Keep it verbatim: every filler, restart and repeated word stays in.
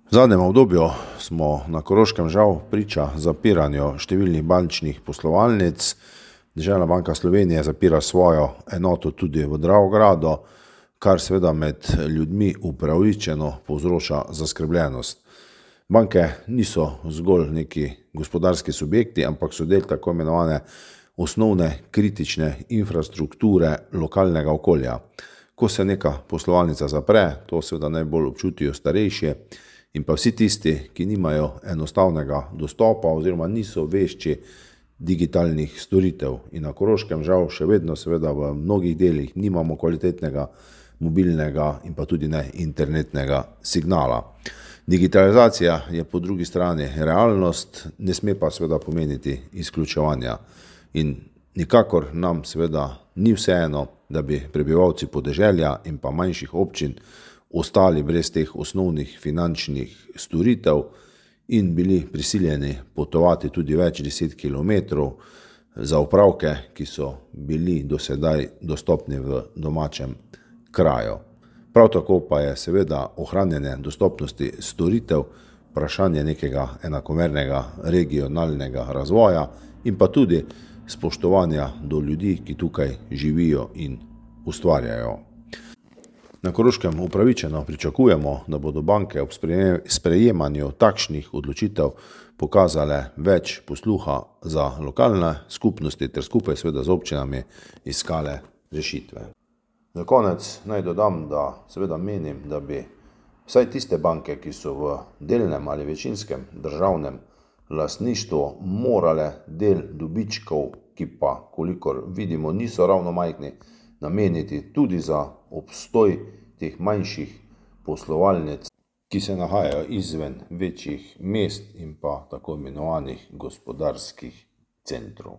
V zadnjem obdobju smo na Koroškem žal priča zapiranju številnih bančnih poslovalnic. Deželna banka Slovenije zapira svojo enoto tudi v Dravogradu, kar seveda med ljudmi upravičeno povzroča zaskrbljenost. Banke niso zgolj neki gospodarski subjekti, ampak so del tako imenovane osnovne kritične infrastrukture lokalnega okolja. Ko se neka poslovalnica zapre, to seveda najbolj občutijo starejši in pa vsi tisti, ki nimajo enostavnega dostopa oziroma niso vešči digitalnih storitev. In na Koroškem žal še vedno seveda v mnogih delih nimamo kvalitetnega mobilnega in pa tudi ne internetnega signala. Digitalizacija je po drugi strani realnost, ne sme pa seveda pomeniti izključevanja. In nikakor nam seveda ni vseeno, da bi prebivalci podeželja in pa manjših občin ostali brez teh osnovnih finančnih storitev in bili prisiljeni potovati tudi več deset kilometrov za opravke, ki so bili do sedaj dostopni v domačem kraju. Prav tako pa je seveda ohranjanje dostopnosti storitev vprašanje nekega enakomernega regionalnega razvoja in pa tudi spoštovanja do ljudi, ki tukaj živijo in ustvarjajo. Na Koroškem upravičeno pričakujemo, da bodo banke ob sprejemanju takšnih odločitev pokazale več posluha za lokalne skupnosti ter skupaj seveda z občinami iskale rešitve. Za konec naj dodam, da seveda menim, da bi vsaj tiste banke, ki so v delnem ali večinskem državnem lastništvu, morale del dobičkov, ki pa, kolikor vidimo, niso ravno majhni, nameniti tudi za obstoj teh manjših poslovalnic, ki se nahajajo izven večjih mest in pa tako imenovanih gospodarskih centrov.